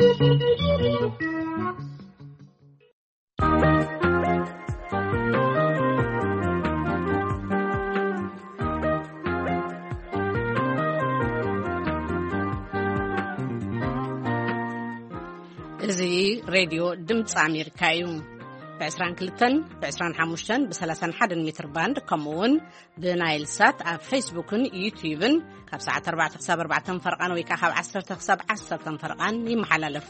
እዚ ሬድዮ ድምፂ ኣሜሪካ እዩ። ብ22፣ ብ25፣ ብ31 ሜትር ባንድ፣ ከምኡ እውን ብናይል ሳት ኣብ ፌስቡክን ዩትዩብን ካብ ሰዓት ኣርባዕተ ክሳብ ኣርባዕተ ፈርቓን ወይ ከዓ ካብ ዓሰርተ ክሳብ ዓሰርተ ፈርቓን ይመሓላለፍ።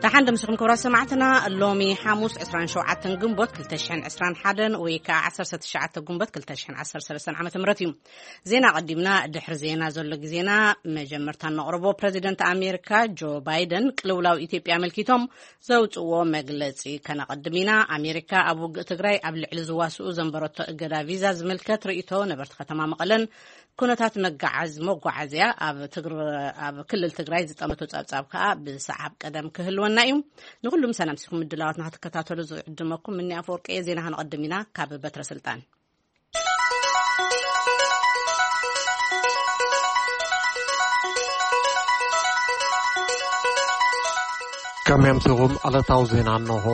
ደሓን ደምስኹም ክቡራት ሰማዕትና፣ ሎሚ ሓሙስ ዕስራን ሸውዓተን ግንቦት ክልተ ሽሕን ዕስራን ሓደን ወይ ከዓ ዓሰርተ ትሽዓተ ግንቦት ክልተ ሽሕን ዓሰርተ ሰለስተን ዓመተ ምህረት እዩ። ዜና ቀዲምና። ድሕሪ ዜና ዘሎ ግዜና መጀመርታ ነቕርቦ። ፕረዚደንት ኣሜሪካ ጆ ባይደን ቅልውላው ኢትዮጵያ ኣመልኪቶም ዘውፅዎ መግለፂ ከነቐድም ኢና። ኣሜሪካ ኣብ ውግእ ትግራይ ኣብ ልዕሊ ዝዋስኡ ዘንበረቶ እገዳ ቪዛ ዝምልከት ርእይቶ ነበርቲ ከተማ መቐለን ኩነታት መጋዓዝ መጓዓዝያ ኣብ ትግር-፣ ኣብ ክልል ትግራይ ዝጠመቶ ጸብጻብ ከኣ ብሰዓብ ቀደም ክህልወና እዩ። ንኹሉም ሰላም ሲኹም ምድላዋትና ክትከታተሉ ዝዕድመኩም እኒ ኣፈወርቂ እየ። ዜና ክንቐድም ኢና ካብ በትረ ስልጣን። ከመምስኹም ዕለታዊ ዜና እንሆ።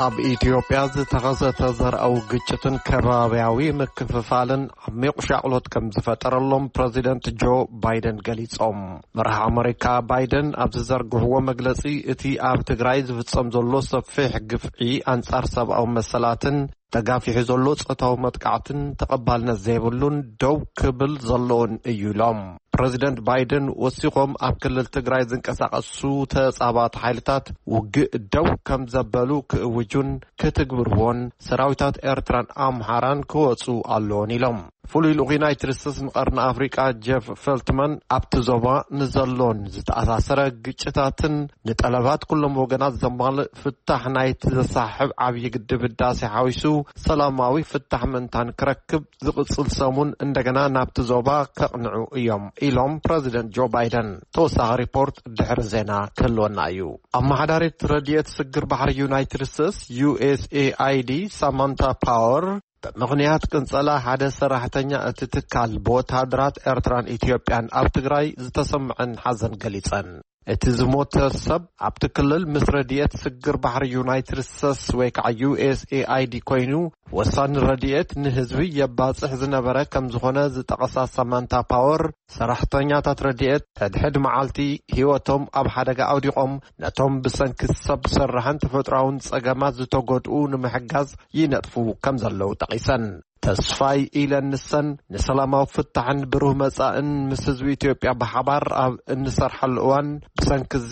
ኣብ ኢትዮጵያ ዝተኸሰተ ዘርኣዊ ግጭትን ከባብያዊ ምክፍፋልን ዓሚቕ ሻቕሎት ከም ዝፈጠረሎም ፕረዚደንት ጆ ባይደን ገሊጾም። መራሒ ኣመሪካ ባይደን ኣብ ዝዘርግሕዎ መግለጺ፣ እቲ ኣብ ትግራይ ዝፍጸም ዘሎ ሰፊሕ ግፍዒ ኣንጻር ሰብኣዊ መሰላትን ተጋፊሑ ዘሎ ጾታዊ መጥቃዕትን ተቐባልነት ዘይብሉን ደው ክብል ዘለዎን እዩ ኢሎም። ፕረዚደንት ባይደን ወሲኾም፣ ኣብ ክልል ትግራይ ዝንቀሳቐሱ ተጻባእቲ ሓይልታት ውግእ ደው ከም ዘበሉ ክእውጁን ክትግብርዎን ሰራዊታት ኤርትራን ኣምሓራን ክወጹ ኣለዎን ኢሎም። ፍሉይ ልኡኽ ዩናይትድ ስቴትስ ንቐርኒ ኣፍሪቃ ጀፍ ፌልትማን፣ ኣብቲ ዞባ ንዘሎን ዝተኣሳሰረ ግጭታትን ንጠለባት ኩሎም ወገናት ዘማልእ ፍታሕ ናይቲ ዘሳሕብ ዓብዪ ግድብ ህዳሴ ሓዊሱ ሰላማዊ ፍታሕ ምእንታን ክረክብ ዝቕጽል ሰሙን እንደገና ናብቲ ዞባ ከቕንዑ እዮም ኢሎም ፕረዚደንት ጆ ባይደን። ተወሳኺ ሪፖርት ድሕሪ ዜና ክህልወና እዩ። ኣመሓዳሪት ረድኤት ስግር ባሕሪ ዩናይትድ ስቴትስ ዩ ኤስ ኤ ኣይ ዲ ሳማንታ ፓወር፣ ብምኽንያት ቅንጸላ ሓደ ሰራሕተኛ እቲ ትካል ብወተሃደራት ኤርትራን ኢትዮጵያን ኣብ ትግራይ ዝተሰምዐን ሓዘን ገሊጸን። እቲ ዝሞተ ሰብ ኣብቲ ክልል ምስ ረድኤት ስግር ባሕሪ ዩናይትድ ስቴትስ ወይ ከዓ ዩ ኤስ ኤ ኣይ ዲ ኮይኑ፣ ወሳኒ ረድኤት ንህዝቢ የባጽሕ ዝነበረ ከም ዝኾነ ዝጠቐሳ ሳማንታ ፓወር፣ ሰራሕተኛታት ረድኤት ሕድሕድ መዓልቲ ህይወቶም ኣብ ሓደጋ ኣውዲቖም፣ ነቶም ብሰንኪ ሰብ ሰራሕን ተፈጥሮኣውን ጸገማት ዝተጎድኡ ንምሕጋዝ ይነጥፉ ከም ዘለዉ ጠቒሰን። ተስፋይ ኢለን ንሰን ንሰላማዊ ፍታሕን ብሩህ መጻእን ምስ ህዝቢ ኢትዮጵያ ብሓባር ኣብ እንሰርሓሉ እዋን፣ ብሰንኪ እዚ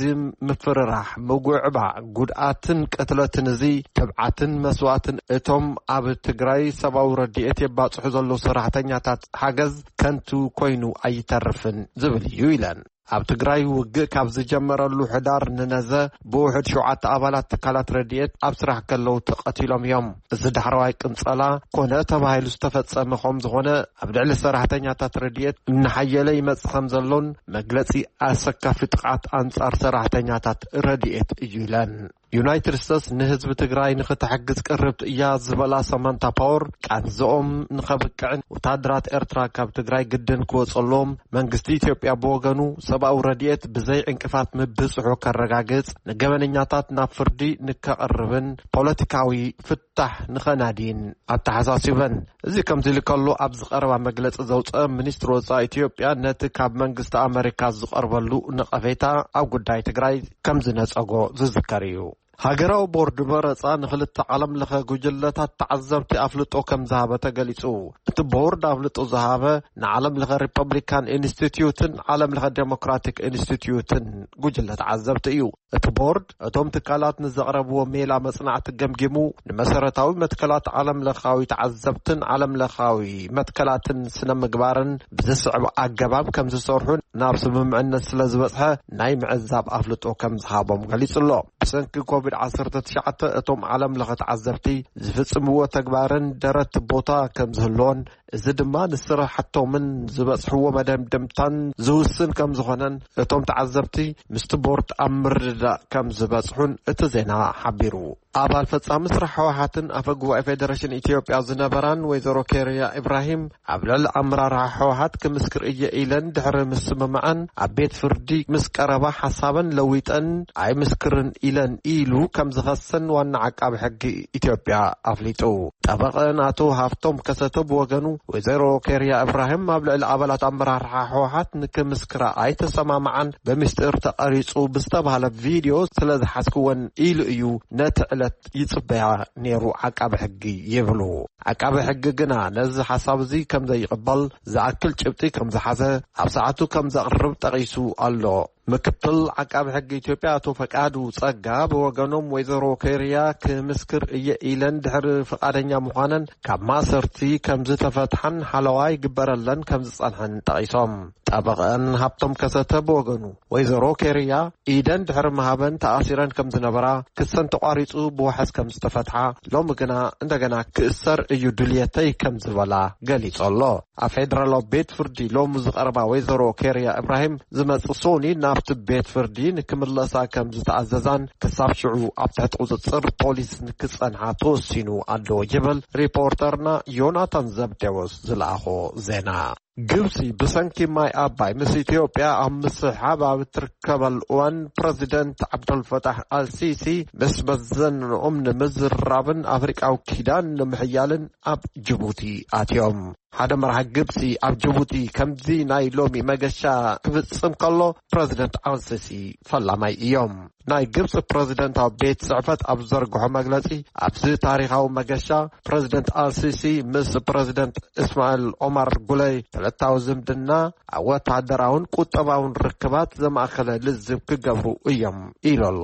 ምፍርራሕ፣ ምጉዕባዕ፣ ጉድኣትን ቅትለትን እዚ ትብዓትን መስዋእትን እቶም ኣብ ትግራይ ሰብኣዊ ረድኤት የባጽሑ ዘለዉ ሰራሕተኛታት ሓገዝ ከንቱ ኮይኑ ኣይተርፍን ዝብል እዩ ኢለን። ኣብ ትግራይ ውግእ ካብ ዝጀመረሉ ሕዳር ንነዘ ብውሕድ ሸውዓተ ኣባላት ትካላት ረድኤት ኣብ ስራሕ ከለዉ ተቐቲሎም እዮም። እዚ ዳሕረዋይ ቅንጸላ ኮነ ተባሂሉ ዝተፈጸመ ከም ዝኾነ፣ ኣብ ልዕሊ ሰራሕተኛታት ረድኤት እናሓየለ ይመጽእ ከም ዘሎን መግለጺ ኣሰካፊ ጥቕዓት ኣንጻር ሰራሕተኛታት ረድኤት እዩ ኢለን። ዩናይትድ ስቴትስ ንህዝቢ ትግራይ ንኽትሕግዝ ቅርብቲ እያ ዝበላ ሳማንታ ፓወር፣ ቃንዝኦም ንኸብቅዕን ወታደራት ኤርትራ ካብ ትግራይ ግድን ክወጸሎም መንግስቲ ኢትዮጵያ ብወገኑ ሰብኣዊ ረድኤት ብዘይ ዕንቅፋት ምብጽሑ ከረጋግጽ፣ ንገበነኛታት ናብ ፍርዲ ንከቕርብን ፖለቲካዊ ፍታሕ ንኸናድይን ኣተሓሳሲበን። እዚ ከምዚ ኢሉ ከሎ፣ ኣብዚ ቀረባ መግለጺ ዘውጸ ሚኒስትሪ ወጻኢ ኢትዮጵያ ነቲ ካብ መንግስቲ ኣመሪካ ዝቐርበሉ ነቐፌታ ኣብ ጉዳይ ትግራይ ከም ዝነጸጎ ዝዝከር እዩ። ሃገራዊ ቦርድ መረጻ ንኽልተ ዓለም ለኸ ጉጅለታት ተዓዘብቲ ኣፍልጦ ከም ዝሃበ ተገሊጹ። እቲ ቦርድ ኣፍልጦ ዝሃበ ንዓለም ለኸ ሪፐብሊካን ኢንስቲትዩትን ዓለም ለኸ ዴሞክራቲክ ኢንስቲትዩትን ጉጅለ ተዓዘብቲ እዩ። እቲ ቦርድ እቶም ትካላት ንዘቕረብዎ ሜላ መጽናዕቲ ገምጊሙ፣ ንመሰረታዊ መትከላት ዓለም ለኻዊ ተዓዘብትን ዓለም ለኻዊ መትከላትን ስነ ምግባርን ብዝስዕብ ኣገባብ ከም ዝሰርሑ ናብ ስምምዕነት ስለ ዝበጽሐ፣ ናይ ምዕዛብ ኣፍልጦ ከም ዝሃቦም ገሊጹ ኣሎ። ብሰንኪ ኮቪድ ዓሰርተ ትሽዓተ እቶም ዓለም ለኸ ተዓዘብቲ ዝፍጽምዎ ተግባርን ደረት ቦታ ከም ዝህልዎን፣ እዚ ድማ ንስራሕቶምን ዝበጽሕዎ መደምደምታን ዝውስን ከም ዝኾነን እቶም ተዓዘብቲ ምስቲ ቦርድ ኣብ ምርድዳእ ምውዳእ ከም ዝበጽሑን እቲ ዜና ሓቢሩ። ኣባል ፈጻሚ ስራሕ ህወሓትን ኣፈ ጉባኤ ፌደሬሽን ኢትዮጵያ ዝነበራን ወይዘሮ ኬርያ ኢብራሂም፣ ኣብ ልዕሊ ኣመራርሓ ህወሓት ክምስክር እየ ኢለን ድሕሪ ምስምማዐን፣ ኣብ ቤት ፍርዲ ምስ ቀረባ ሓሳበን ለዊጠን ኣይምስክርን ኢለን ኢሉ ከም ዝኸሰን ዋና ዓቃቢ ሕጊ ኢትዮጵያ ኣፍሊጡ። ጠበቐን ኣቶ ሃፍቶም ከሰተ ብወገኑ፣ ወይዘሮ ኬርያ እብራሂም ኣብ ልዕሊ ኣባላት ኣመራርሓ ህወሓት ንክምስክራ ኣይተሰማምዓን፣ በሚስጢር ተቐሪጹ ብዝተባህለ ቪድዮ ስለ ዝሓዝክወን ኢሉ እዩ ነቲ ዕለት ይጽበያ ነይሩ ዓቃቢ ሕጊ ይብሉ። ዓቃቢ ሕጊ ግና ነዚ ሓሳብ እዚ ከም ዘይቕበል፣ ዝኣክል ጭብጢ ከም ዝሓዘ ኣብ ሰዓቱ ከም ዘቕርብ ጠቒሱ ኣሎ። ምክትል ዓቃቢ ሕጊ ኢትዮጵያ ኣቶ ፈቃዱ ጸጋ ብወገኖም፣ ወይዘሮ ኬርያ ክምስክር እየ ኢለን ድሕሪ ፍቓደኛ ምዃነን ካብ ማእሰርቲ ከም ዝተፈትሓን ሓለዋ ይግበረለን ከም ዝጸንሐን ጠቒሶም። ጠበቐን ሃብቶም ከሰተ ብወገኑ፣ ወይዘሮ ኬርያ ኢደን ድሕሪ ምሃበን ተኣሲረን ከም ዝነበራ፣ ክሰን ተቋሪጹ ብዋሕስ ከም ዝተፈትሓ፣ ሎሚ ግና እንደገና ክእሰር እዩ ድልየተይ ከም ዝበላ ገሊጹ ኣሎ። ኣብ ፌደራላዊ ቤት ፍርዲ ሎሚ ዝቐረባ ወይዘሮ ኬርያ እብራሂም፣ ዝመጽእ ሶኒ ናብቲ ቤት ፍርዲ ንክምለሳ ከም ዝተኣዘዛን፣ ክሳብ ሽዑ ኣብ ትሕቲ ቁጽጽር ፖሊስ ንክጸንሓ ተወሲኑ ኣሎ ይብል ሪፖርተርና ዮናታን ዘብዴዎስ ዝለኣኾ ዜና። ግብጺ ብሰንኪ ማይ ኣባይ ምስ ኢትዮጵያ ኣብ ምስሕሓብ ኣብ እትርከበሉ እዋን፣ ፕረዚደንት ዓብደልፈታሕ ኣልሲሲ ምስ መዘንኦም ንምዝርራብን ኣፍሪቃዊ ኪዳን ንምሕያልን ኣብ ጅቡቲ ኣትዮም። ሓደ መራሒ ግብጺ ኣብ ጅቡቲ ከምዚ ናይ ሎሚ መገሻ ክፍጽም ከሎ፣ ፕረዚደንት ኣልሲሲ ፈላማይ እዮም። ናይ ግብጺ ፕረዚደንታዊ ቤት ጽሕፈት ኣብ ዘርግሖ መግለጺ፣ ኣብዚ ታሪኻዊ መገሻ ፕረዚደንት ኣልሲሲ ምስ ፕረዚደንት እስማኤል ኦማር ጉለይ ክልታዊ ዝምድና ኣብ ወተሃደራውን ቁጠባውን ርክባት ዘማእከለ ልዝብ ክገብሩ እዮም ኢሉ ኣሎ።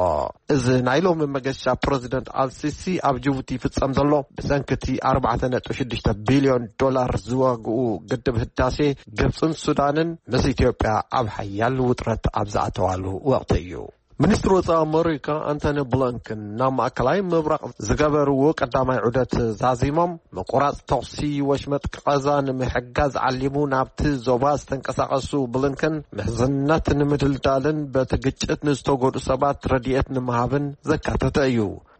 እዚ ናይ ሎሚ መገሻ ፕረዚደንት ኣልሲሲ ኣብ ጅቡቲ ይፍጸም ዘሎ፣ ብሰንኪ እቲ ኣርባዕተ ነጥቢ ሽዱሽተ ቢልዮን ዶላር ዝዋግኡ ግድብ ህዳሴ፣ ግብጽን ሱዳንን ምስ ኢትዮጵያ ኣብ ሓያል ውጥረት ኣብ ዝኣተዋሉ ወቕቲ እዩ። ሚኒስትሪ ወጻኢ ኣመሪካ ኣንቶኒ ብሊንከን ናብ ማእከላይ ምብራቕ ዝገበርዎ ቀዳማይ ዑደት ዛዚሞም፣ ምቁራጽ ተኹሲ ወሽመጥ ቃዛ ንምሕጋዝ ዓሊሙ ናብቲ ዞባ ዝተንቀሳቐሱ ብሊንከን፣ ምሕዝነት ንምድልዳልን በቲ ግጭት ንዝተጎድኡ ሰባት ረድኤት ንምሃብን ዘካተተ እዩ።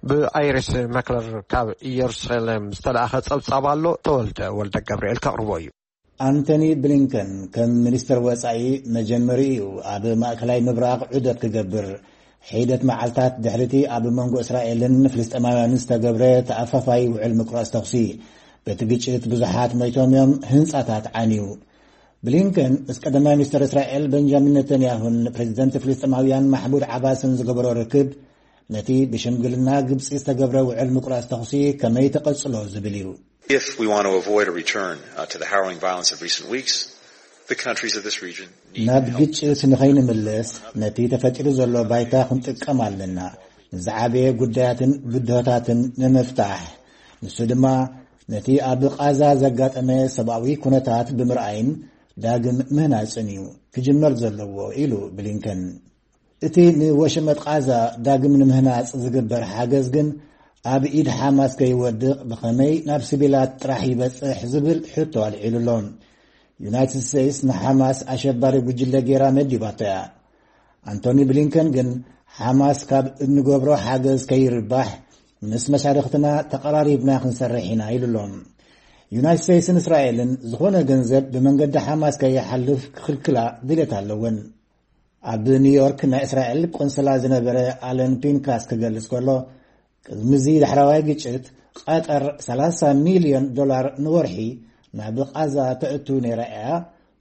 ብኣይሪስ መክለር ካብ ኢየሩሳሌም ዝተላእኸ ጸብጻብ ኣሎ፣ ተወልደ ወልደ ገብርኤል ከቕርቦ እዩ። ኣንቶኒ ብሊንከን ከም ሚኒስትር ወጻኢ መጀመሪኡ እዩ ኣብ ማእከላይ ምብራቕ ዑደት ክገብር። ሒደት መዓልታት ድሕሪቲ ኣብ መንጎ እስራኤልን ፍልስጤማውያንን ዝተገብረ ተኣፋፋይ ውዕል ምቁራጽ ተኹሲ፣ በቲ ግጭት ብዙሓት ሞይቶም እዮም፣ ህንጻታት ዓንዩ። ብሊንከን ምስ ቀዳማይ ሚኒስትር እስራኤል ቤንጃሚን ነተንያሁን ፕሬዚደንት ፍልስጤማውያን ማሕሙድ ዓባስን ዝገበሮ ርክብ፣ ነቲ ብሽምግልና ግብጺ ዝተገብረ ውዕል ምቁራጽ ተኹሲ ከመይ ተቐጽሎ ዝብል እዩ። If we want to avoid a return, uh, to the harrowing violence of recent weeks, the countries of this region need ናብ help. ግጭት ንኸይንምለስ፣ ነቲ ተፈጢሩ ዘሎ ባይታ ክንጥቀም ኣለና፣ ንዝዓበየ ጉዳያትን ብድሆታትን ንምፍታሕ። ንሱ ድማ ነቲ ኣብ ቃዛ ዘጋጠመ ሰብኣዊ ኩነታት ብምርኣይን ዳግም ምህናጽን እዩ ክጅመር ዘለዎ ኢሉ ብሊንከን። እቲ ንወሽመጥ ቃዛ ዳግም ንምህናጽ ዝግበር ሓገዝ ግን ኣብ ኢድ ሓማስ ከይወድቕ ብኸመይ ናብ ሲቪላት ጥራሕ ይበጽሕ ዝብል ሕቶ ኣልዒሉ ኣሎ። ዩናይትድ ስቴትስ ንሓማስ ኣሸባሪ ጉጅለ ጌራ መዲባቶ እያ። ኣንቶኒ ብሊንከን ግን ሓማስ ካብ እንገብሮ ሓገዝ ከይርባሕ ምስ መሻርኽትና ተቐራሪብና ክንሰርሕ ኢና ኢሉ ኣሎ። ዩናይትድ ስቴትስን እስራኤልን ዝኾነ ገንዘብ ብመንገዲ ሓማስ ከይሓልፍ ክኽልክላ ድሌት ኣለወን። ኣብ ኒውዮርክ ናይ እስራኤል ቆንስላ ዝነበረ ኣለን ፒንካስ ክገልጽ ከሎ፣ ቅድሚ እዚ ዳሕራዋይ ግጭት ቀጠር ሰላሳ ሚልዮን ዶላር ንወርሒ ናብ ቓዛ ተእቱ ነይራ እያ።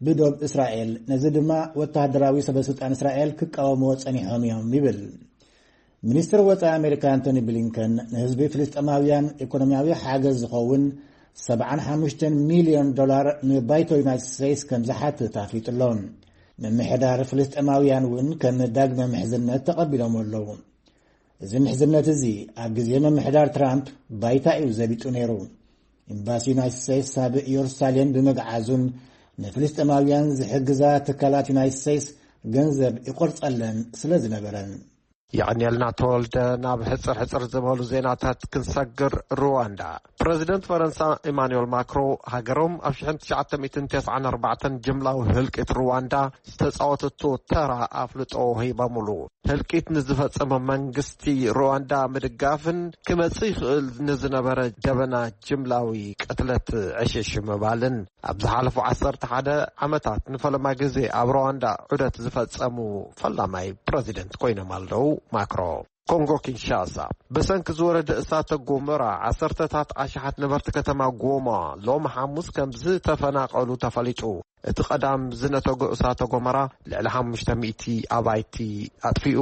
ብዶብ እስራኤል፣ ነዚ ድማ ወተሃደራዊ ሰበስልጣን እስራኤል ክቃወምዎ ጸኒሖም እዮም ይብል። ሚኒስትር ወጻኢ ኣሜሪካ ኣንቶኒ ብሊንከን ንህዝቢ ፍልስጤማውያን ኢኮኖሚያዊ ሓገዝ ዝኸውን ሰብዓን ሓሙሽተን ሚልዮን ዶላር ንባይቶ ዩናይትድ ስቴትስ ከም ዝሓትት ኣፍሊጡ ኣሎ። ምምሕዳር ፍልስጤማውያን እውን ከም ዳግመ ምሕዝነት ተቐቢሎም ኣለዉ። እዚ ምሕዝነት እዚ ኣብ ግዜ ምምሕዳር ትራምፕ ባይታ እዩ ዘቢጡ ነይሩ። ኤምባሲ ዩናይትድ ስቴትስ ኣብ ኢየሩሳሌም ብምግዓዙን ንፍልስጤማውያን ዝሕግዛ ትካላት ዩናይትድ ስቴትስ ገንዘብ ይቆርጸለን ስለ ዝነበረን። የቐንየልና ተወልደ። ናብ ሕጽር ሕጽር ዝበሉ ዜናታት ክንሰግር። ሩዋንዳ። ፕረዚደንት ፈረንሳ ኢማኑኤል ማክሮ ሃገሮም ኣብ ሽሕን ትሽዓተ ሚእትን ተስዓን ኣርባዕተን ጅምላዊ ህልቂት ሩዋንዳ ዝተጻወተቶ ተራ ኣፍልጦ ሂቦምሉ። ህልቂት ንዝፈጸመ መንግስቲ ሩዋንዳ ምድጋፍን ክመጽእ ይኽእል ንዝነበረ ደበና ጅምላዊ ቅትለት ዕሽሽ ምባልን ኣብ ዝሓለፉ ዓሰርተ ሓደ ዓመታት ንፈለማ ግዜ ኣብ ሩዋንዳ ዑደት ዝፈጸሙ ፈላማይ ፕረዚደንት ኮይኖም ኣለዉ። ማክሮ። ኮንጎ ኪንሻሳ። ብሰንኪ ዝወረደ እሳተ ጎመራ ዓሰርተታት ኣሽሓት ነበርቲ ከተማ ጎማ ሎም ሓሙስ ከም ዝተፈናቐሉ ተፈሊጡ። እቲ ቀዳም ዝነተጎ እሳተ ጎመራ ልዕሊ ሓሙሽተ ሚእቲ ኣባይቲ ኣጥፊኡ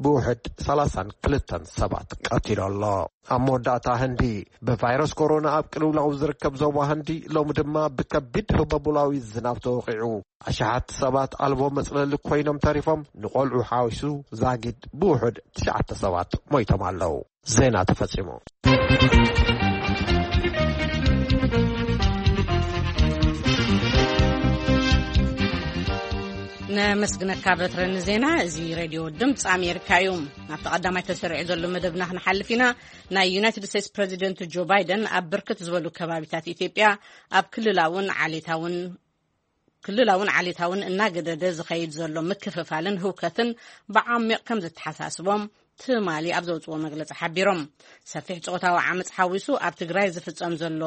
ብውሕድ ሰላሳን ክልተን ሰባት ቀቲሉ ኣሎ። ኣብ መወዳእታ ህንዲ ብቫይረስ ኮሮና ኣብ ቅልውላው ዝርከብ ዞባ ህንዲ ሎሚ ድማ ብከቢድ ህበቡላዊ ዝናብ ተወቒዑ። ኣሽሓት ሰባት ኣልቦ መጽለሊ ኮይኖም ተሪፎም፣ ንቆልዑ ሓዊሱ ዛጊድ ብውሑድ ትሽዓተ ሰባት ሞይቶም ኣለዉ። ዜና ተፈጺሙ። ነመስግነካ በትረ ንዜና። እዚ ሬድዮ ድምፂ ኣሜሪካ እዩ። ናብቲ ቀዳማይ ተሰሪዑ ዘሎ መደብና ክንሓልፍ ኢና። ናይ ዩናይትድ ስቴትስ ፕረዚደንት ጆ ባይደን ኣብ ብርክት ዝበሉ ከባቢታት ኢትዮጵያ ኣብ ክልላውን ዓሌታውን ክልላውን ዓሌታውን እናገደደ ዝኸይድ ዘሎ ምክፍፋልን ህውከትን ብዓሚቕ ከም ዘተሓሳስቦም ትማሊ ኣብ ዘውፅዎ መግለፂ ሓቢሮም። ሰፊሕ ፆታዊ ዓመፅ ሓዊሱ ኣብ ትግራይ ዝፍፀም ዘሎ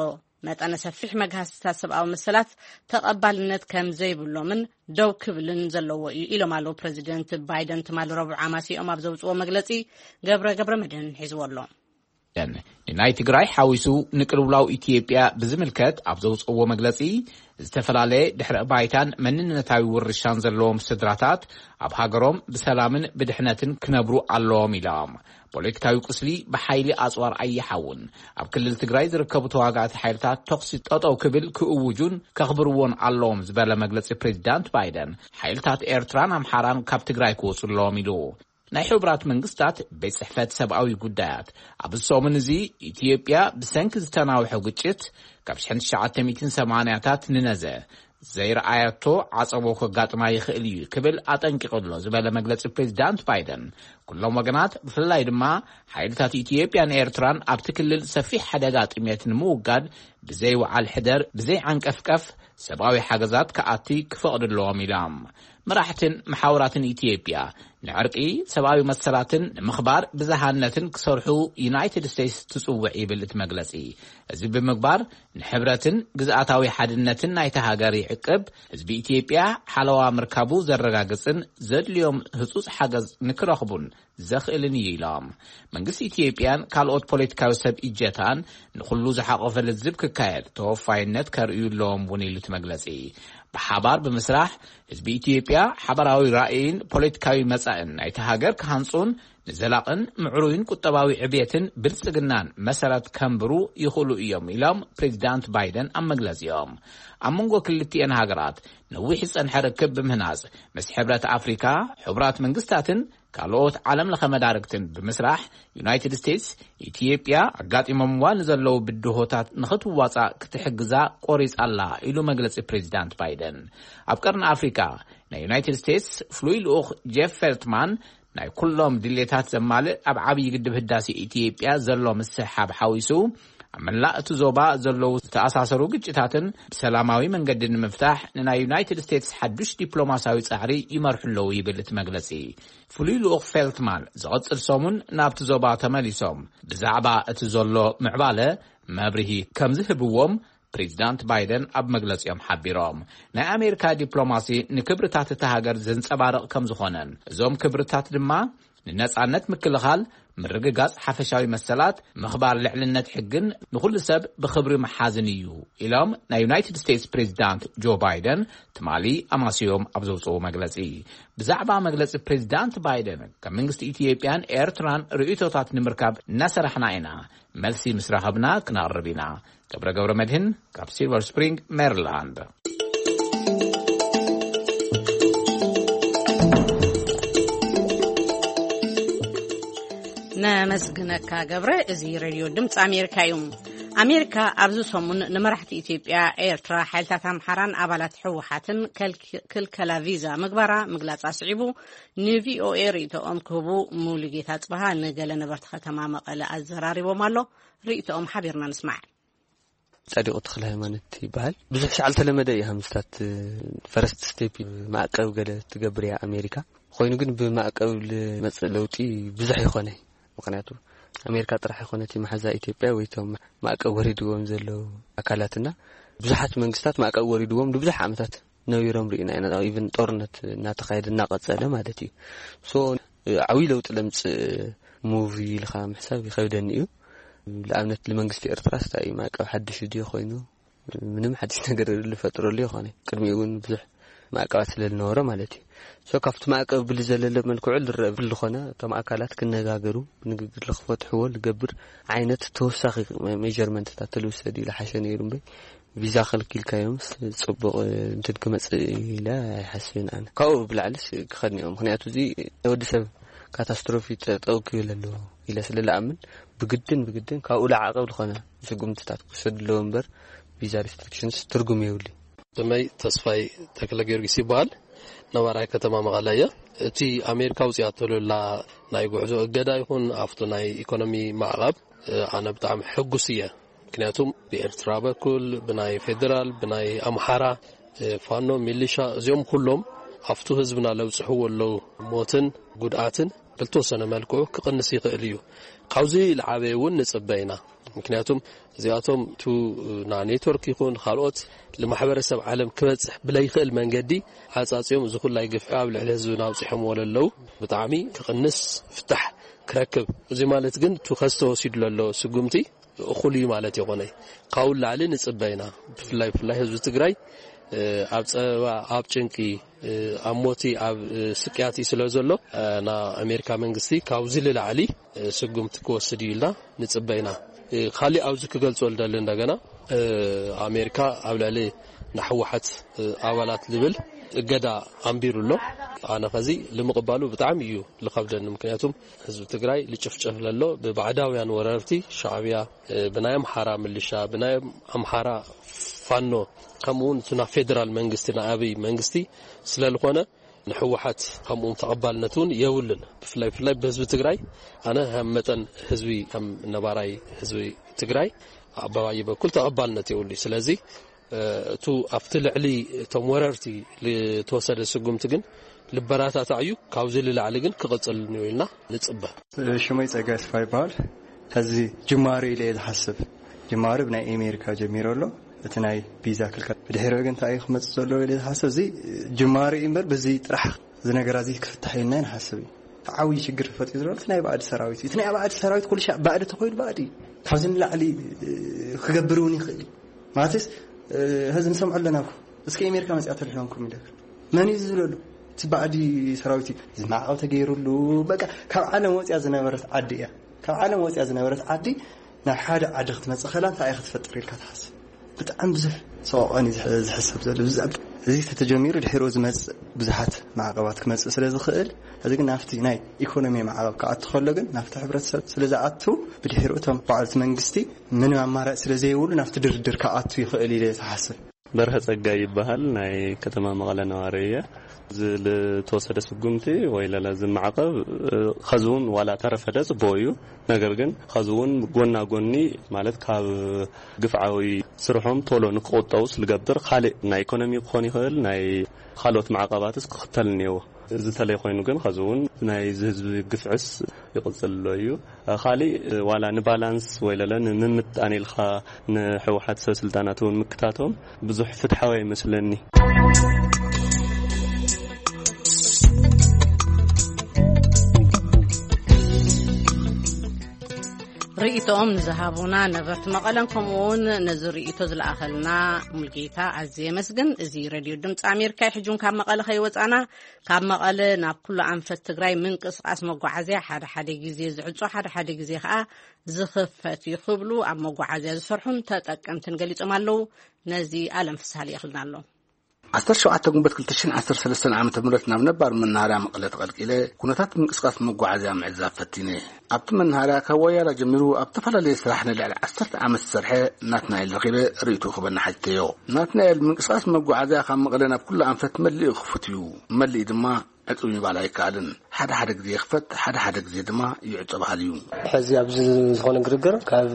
መጠነ ሰፊሕ መግሃስታት ሰብኣዊ መሰላት ተቐባልነት ከም ዘይብሎምን ደው ክብልን ዘለዎ እዩ ኢሎም ኣለዉ ፕረዚደንት ባይደን ትማሊ ረቡዕ ኣማሲኦም ኣብ ዘውፅዎ መግለፂ። ገብረ ገብረ መድህን ሒዝዎ ኣሎ። ንናይ ትግራይ ሓዊሱ ንቅልውላው ኢትዮጵያ ብዝምልከት ኣብ ዘውፅእዎ መግለፂ፣ ዝተፈላለየ ድሕረ ባይታን መንነታዊ ውርሻን ዘለዎም ስድራታት ኣብ ሃገሮም ብሰላምን ብድሕነትን ክነብሩ ኣለዎም ኢሎም። ፖለቲካዊ ቁስሊ ብሓይሊ ኣፅዋር ኣይሓውን። ኣብ ክልል ትግራይ ዝርከቡ ተዋጋእቲ ሓይልታት ተኹሲ ጠጠው ክብል ክእውጁን ከኽብርዎን ኣለዎም ዝበለ መግለፂ ፕሬዚዳንት ባይደን፣ ሓይልታት ኤርትራን ኣምሓራን ካብ ትግራይ ክወፁ ኣለዎም ኢሉ። ናይ ሕቡራት መንግስታት ቤት ጽሕፈት ሰብኣዊ ጉዳያት፣ ኣብ ሰሙን እዚ ኢትዮጵያ ብሰንኪ ዝተናውሐ ግጭት ካብ ሽሕን ትሽዓተ ሚእትን ሰማንያታት ንነዘ ዘይረኣየቶ ዓጸቦ ከጋጥማ ይኽእል እዩ ክብል ኣጠንቂቑ ኣሎ ዝበለ መግለጺ ፕሬዚዳንት ባይደን፣ ኩሎም ወገናት ብፍላይ ድማ ሓይልታት ኢትዮጵያን ኤርትራን ኣብቲ ክልል ሰፊሕ ሓደጋ ጥሜት ንምውጋድ ብዘይ ወዓል ሕደር ብዘይ ዓንቀፍቀፍ ሰብኣዊ ሓገዛት ክኣቲ ክፈቕዱ ኣለዎም ኢሎም። መራሕትን መሓውራትን ኢትዮጵያ ንዕርቂ፣ ሰብኣዊ መሰላትን ንምኽባር ብዝሃነትን ክሰርሑ ዩናይትድ ስቴትስ ትጽውዕ ይብል እቲ መግለጺ። እዚ ብምግባር ንሕብረትን ግዝኣታዊ ሓድነትን ናይታ ሃገር ይዕቅብ፣ ህዝቢ ኢትዮጵያ ሓለዋ ምርካቡ ዘረጋግጽን ዘድልዮም ህጹጽ ሓገዝ ንክረኽቡን ዘኽእልን እዩ ኢሎም። መንግስቲ ኢትዮጵያን ካልኦት ፖለቲካዊ ሰብ እጀታን ንኹሉ ዝሓቆፈ ልዝብ ክካየድ ተወፋይነት ከርእዩ ኣለዎም እውን ኢሉ እቲ መግለጺ። ብሓባር ብምስራሕ ህዝቢ ኢትዮጵያ ሓባራዊ ራእይን ፖለቲካዊ መጻእን ናይቲ ሃገር ክሃንጹን ንዘላቕን ምዕሩይን ቁጠባዊ ዕብየትን ብልጽግናን መሰረት ከንብሩ ይኽእሉ እዮም ኢሎም ፕሬዚዳንት ባይደን ኣብ መግለጺኦም። ኣብ መንጎ ክልቲኤን ሃገራት ነዊሕ ዝጸንሐ ርክብ ብምህናጽ ምስ ሕብረት ኣፍሪካ፣ ሕቡራት መንግስታትን ካልኦት ዓለም ለኸ መዳርግትን ብምስራሕ ዩናይትድ ስቴትስ ኢትዮጵያ ኣጋጢሞምዋ ንዘለዉ ብድሆታት ንኽትዋጻእ ክትሕግዛ ቆሪጻ ኣላ ኢሉ መግለጺ ፕሬዚዳንት ባይደን። ኣብ ቀርኒ ኣፍሪካ ናይ ዩናይትድ ስቴትስ ፍሉይ ልኡኽ ጄፍ ፌልትማን ናይ ኩሎም ድሌታት ዘማልእ ኣብ ዓብዪ ግድብ ህዳሴ ኢትዮጵያ ዘሎ ምስሕሓብ ሓዊሱ ኣብ መላእ እቲ ዞባ ዘለዉ ዝተኣሳሰሩ ግጭታትን ብሰላማዊ መንገዲ ንምፍታሕ ንናይ ዩናይትድ ስቴትስ ሓዱሽ ዲፕሎማሲያዊ ጻዕሪ ይመርሑ ኣለዉ ይብል እቲ መግለጺ። ፍሉይ ልኡኽ ፌልትማን ዝቐጽል ሰሙን ናብቲ ዞባ ተመሊሶም ብዛዕባ እቲ ዘሎ ምዕባለ መብርሂ ከም ዝህብዎም ፕሬዚዳንት ባይደን ኣብ መግለጺኦም ሓቢሮም። ናይ ኣሜሪካ ዲፕሎማሲ ንክብርታት እታ ሃገር ዘንጸባርቕ ከም ዝኾነን እዞም ክብርታት ድማ ንነጻነት ምክልኻል፣ ምርግጋጽ ሓፈሻዊ መሰላት፣ ምኽባር ልዕልነት ሕግን ንኹሉ ሰብ ብኽብሪ ምሓዝን እዩ ኢሎም ናይ ዩናይትድ ስቴትስ ፕሬዚዳንት ጆ ባይደን ትማሊ ኣማስዮም ኣብ ዘውፅኡ መግለጺ። ብዛዕባ መግለጺ ፕሬዚዳንት ባይደን ካብ መንግስቲ ኢትዮጵያን ኤርትራን ርእይቶታት ንምርካብ እናሰራሕና ኢና። መልሲ ምስ ረኸብና ክነቕርብ ኢና። ገብረ ገብረ መድህን ካብ ሲልቨር ስፕሪንግ ሜሪላንድ። ነመስግነካ ገብረ። እዚ ሬድዮ ድምፂ ኣሜሪካ እዩ። ኣሜሪካ ኣብዚ ሰሙን ንመራሕቲ ኢትዮጵያ፣ ኤርትራ፣ ሓይልታት ኣምሓራን ኣባላት ህወሓትን ከልኪ-፣ ክልከላ ቪዛ ምግባራ ምግላጻ ስዒቡ፣ ንቪኦኤ ርእይቶኦም ክህቡ ሙሉጌታ ጽበሃ ንገለ ነበርቲ ከተማ መቐለ ኣዘራሪቦም ኣሎ። ርእይቶኦም ሓቢርና ንስማዕ። ጸዲቑ ተኽለ ሃይማኖት ይበሃል። ብዙሕ ሻዕ ዝተለመደ እዩ። ሃምስታት ፈረስት ስቴፕ ማዕቀብ ገለ ትገብር እያ ኣሜሪካ። ኮይኑ ግን ብማዕቀብ ልመጽእ ለውጢ ብዙሕ ይኾነ። ምኽንያቱ ኣሜሪካ ጥራሕ ይኾነት መሓዛ ኢትዮጵያ ወይ እቶም ማዕቀብ ወሪድዎም ዘለዉ ኣካላትና፣ ብዙሓት መንግስታት ማዕቀብ ወሪድዎም ንብዙሕ ዓመታት ነቢሮም ርኢና ኢና። ኢቨን ጦርነት እናተኻየደ እናቐጸለ ማለት እዩ። ሶ ዓብዪ ለውጢ ለምጽእ ሙቪ ኢልካ ምሕሳብ ይኸብደኒ እዩ። ንኣብነት ንመንግስቲ ኤርትራ ስታይ ማዕቀብ ሓድሽ ድዩ ኮይኑ ምንም ሓድሽ ነገር ልፈጥረሉ ይኾነ። ቅድሚኡ እውን ብዙሕ ማዕቀባት ስለ ዝነበረ ማለት እዩ። ሶ ካብቲ ማዕቀብ ብሊ ዘለለ መልክዑ ዝረአ ብሊ ዝኾነ እቶም ኣካላት ክነጋገሩ፣ ንግግር ልክፈትሕዎ ልገብር ዓይነት ተወሳኺ ሜጀርመንትታት ተልውሰድ ኢለ ሓሸ ነይሩ እምበይ ቪዛ ከልኪልካዮምስ ጽቡቕ እንትን ክመጽእ ኢለ ኣይሓስብን ኣነ። ካብኡ ብላዕልስ ክኸድን እዮም። ምኽንያቱ እዚ ናይ ወዲ ሰብ ካታስትሮፊ ጠጠው ክብል ኣለዎ ኢለ ስለ ልኣምን ብግድን ብግድን ካብኡ ለዓቐብ ዝኾነ ስጉምትታት ክወሰድ ኣለዎ እምበር ቪዛ ሪስትሪክሽንስ ትርጉም የብሉ። ስመይ ተስፋይ ተክለ ጊዮርጊስ ይበሃል። ነባራይ ከተማ መቐለ እየ። እቲ ኣሜሪካ ውፅኣቶ ዘላ ናይ ጉዕዞ እገዳ ይኹን ኣብቲ ናይ ኢኮኖሚ ማዕቐብ፣ እ፣ ኣነ ብጣዕሚ ሕጉስ እየ። ምክንያቱም ብኤርትራ በኩል ብናይ ፌዴራል ብናይ ኣምሓራ፣ እ፣ ፋኖ ሚሊሻ እዚኦም ኩሎም ኣብቱ ህዝብና ለብፅሕዎ ኣለዉ ሞትን ጉድኣትን ብልተወሰነ መልክዑ ክቕንስ ይኽእል እዩ። ካብዚ ልዓበየ እውን ንፅበ ኢና። ምክንያቱም እዚኣቶም ቱ ና ኔትወርክ ይኹን ካልኦት ንማሕበረሰብ ዓለም ክበፅሕ ብለይኽእል መንገዲ ዓፃፅዮም እዚ ኩላይ ግፍዒ ኣብ ልዕሊ ህዝብና ኣውፂሖምዎ ለለዉ ብጣዕሚ ክቕንስ ፍታሕ ክረክብ። እዚ ማለት ግን ቱ ከዝተወሲዱ ለሎ ስጉምቲ እኹል እዩ ማለት ይኾነ። ካብኡ ላዕሊ ንፅበ ኢና። ብፍላይ ብፍላይ ህዝቢ ትግራይ፣ እ፣ ኣብ ፀበባ ኣብ ጭንቂ፣ እ፣ ኣብ ሞቲ ኣብ፣ እ፣ ስቅያት እዩ ስለ ዘሎ፣ እ፣ ና ኣሜሪካ መንግስቲ ካብዚ ልላዕሊ፣ እ፣ ስጉምቲ ክወስድ እዩ ኢልና ንፅበ ኢና። እ፣ ካሊእ ኣብዚ ክገልጾ ልደሊ እንደገና፣ እ፣ ኣሜሪካ ኣብ ልዕሊ ንሕወሓት፣ እ፣ ኣባላት ልብል እገዳ ኣንቢሩ ኣሎ። ኣነ ኸዚ ልምቕባሉ ብጣዕሚ እዩ ልኸብደኒ። ምክንያቱም ህዝቢ ትግራይ ልጭፍጨፍ ለሎ ብባዕዳውያን ወረርቲ ሻዕብያ፣ እ፣ ብናይ ኣምሓራ ምልሻ፣ ብናይ ኣምሓራ ፋኖ፣ ከምኡ እውን እቲ ናብ ፌደራል መንግስቲ፣ ናይ ኣብይ መንግስቲ ስለ ዝኾነ ንሕወሓት ከምኡ እውን ተቐባልነት እውን የብሉን። ብፍላይ ብፍላይ ብህዝቢ ትግራይ ኣነ ከም መጠን ህዝቢ፣ ከም ነባራይ ህዝቢ ትግራይ ኣባባይ በኩል ተቐባልነት የብሉ። ስለዚ፣ እ፣ እቱ ኣብቲ ልዕሊ እቶም ወረርቲ ልተወሰደ ስጉምቲ ግን ልበራታታዕ እዩ። ካብዚ ልላዕሊ ግን ክቕፅል እዩ ኢልና ንፅበ። ሽመይ ጸጋይ ተስፋ ይበሃል። ሕዚ ጅማሮ ኢለ እየ ዝሓስብ። ጅማሮ ብናይ ኣሜሪካ ጀሚሩ ኣሎ። እቲ ናይ ቪዛ ክልከል ብድሕሪኡ ግን እንታይ እዩ ክመጽእ ዘለዎ ኢለ ዝሓስብ። እዚ ጅማሮ እዩ እምበር በዚ ጥራሕ እዚ ነገር እዚ ክፍታሕ ኢልና ንሓስብ እዩ። ዓብዪ ሽግር ፈጢሩ ዘሎ እቲ ናይ ባዕዲ ሰራዊት እዩ። እቲ ናይ ባዕዲ ሰራዊት ኩሉ ሻዕ ባዕዲ ተኮይኑ ባዕዲ እዩ። ካብዚ ንላዕሊ፣ እ፣ ክገብር እውን ይኽእል እዩ። ማለትስ፣ እ፣ ሕዚ ንሰምዖ ኣለና እኮ። እስከ ኣሜሪካ መጺኣ ተልሕሎም ኩም ኢለ። መን እዩ ዝብለሉ? እቲ ባዕዲ ሰራዊት እዩ። እዚ ማዕቐብ ተገይሩሉ፣ በቃ ካብ ዓለም ወፂኣ ዝነበረት ዓዲ እያ። ካብ ዓለም ወፂኣ ዝነበረት ዓዲ ናብ ሓደ ዓዲ ክትመፅእ ከላ እንታይ እያ ክትፈጥር ኢልካ ትሓስብ? ብጣዕሚ ብዙሕ ሰቆቐን እዩ ዝሕ-፣ ዝሕሰብ ዘሎ። ብዛዕባ እዚ ተተጀሚሩ ድሕሪኡ ዝመፅእ ብዙሓት ማዕቐባት ክመፅእ ስለ ዝኽእል፣ እዚ ግን ናብቲ ናይ ኢኮኖሚ ማዕቐብ ክኣቱ ከሎ ግን ናብቲ ሕብረተሰብ ስለ ዝኣቱ ብድሕሪኡ እቶም ባዕልቲ መንግስቲ ምንም ኣማራፂ ስለ ዘይብሉ ናብቲ ድርድር ክኣቱ ይኽእል ኢለ ዝሓስብ። በርሀ ጸጋይ ይበሃል። ናይ ከተማ መቐለ ነዋሪ እየ። እዚ ልተወሰደ ስጉምቲ ወይ ለለ እዚ ማዕቐብ፣ እ፣ ኸዚ እውን ዋላ ተረፈደ ጽቡቕ እዩ። ነገር ግን ኸዚ እውን ጎና ጎኒ ማለት ካብ ግፍዓዊ ስርሖም ቶሎ ንክቑጠቡ ስልገብር ካልእ ናይ ኢኮኖሚ ክኾን ይኽእል፣ ናይ ካልኦት ማዕቐባትስ ክኽተል እኒአዎ። እዚ ተለይ ኮይኑ ግን ኸዚ እውን ናይ እዚ ህዝቢ ግፍዕስ ይቕጽል ኣሎ እዩ። ካሊእ ዋላ ንባላንስ ወይ ለለ ንምምጣን ኢልካ ንሕወሓት ሰብ ስልጣናት እውን ምክታቶም ብዙሕ ፍትሓዊ ኣይመስለኒ። ርእይቶኦም ንዝሃቡና ነበርቲ መቐለን ከምኡውን ነዚ ርእይቶ ዝለኣኸልና ሙልጌታ ኣዝየ የመስግን። እዚ ሬድዮ ድምፂ ኣሜሪካ እዩ። ሕጂ እውን ካብ መቐለ ከይወፃና ካብ መቐለ ናብ ኩሉ ኣንፈት ትግራይ ምንቅስቓስ መጓዓዝያ ሓደ ሓደ ግዜ ዝዕጾ፣ ሓደ ሓደ ግዜ ከኣ ዝኽፈት እዩ ክብሉ ኣብ መጓዓዝያ ዝሰርሑን ተጠቀምትን ገሊጾም ኣለዉ። ነዚ ኣለም ፍስሃ ልኢኽልና ኣሎ። ዓሰርተ ሸውዓተ ግንቦት ክልተ ሽሕን ዓሰርተ ሰለስተን ዓመተ ምህረት ናብ ነባር መናሃርያ መቐለ ተቐልቂለ፣ ኩነታት ምንቅስቃስ መጓዓዝያ ምዕዛብ ፈቲነ። ኣብቲ መናሃርያ ካብ ወያላ ጀሚሩ ኣብ ዝተፈላለየ ስራሕ ንልዕሊ ዓሰርተ ዓመት ዝሰርሐ ናትናኤል ረኺበ ርእይትኡ ክበና ሓቲተዮ። ናትናኤል፣ ምንቅስቃስ መጓዓዝያ ካብ መቐለ ናብ ኩሉ ኣንፈት መሊኡ ክፉት እዩ፣ መሊኡ ድማ ዕጹው ምባል ኣይከኣልን። ሓደ ሓደ ግዜ ይኽፈት፣ ሓደ ሓደ ግዜ ድማ ይዕጾ በሃሊ እዩ። ሕዚ ኣብዚ ዝኾነ ግርግር ካብ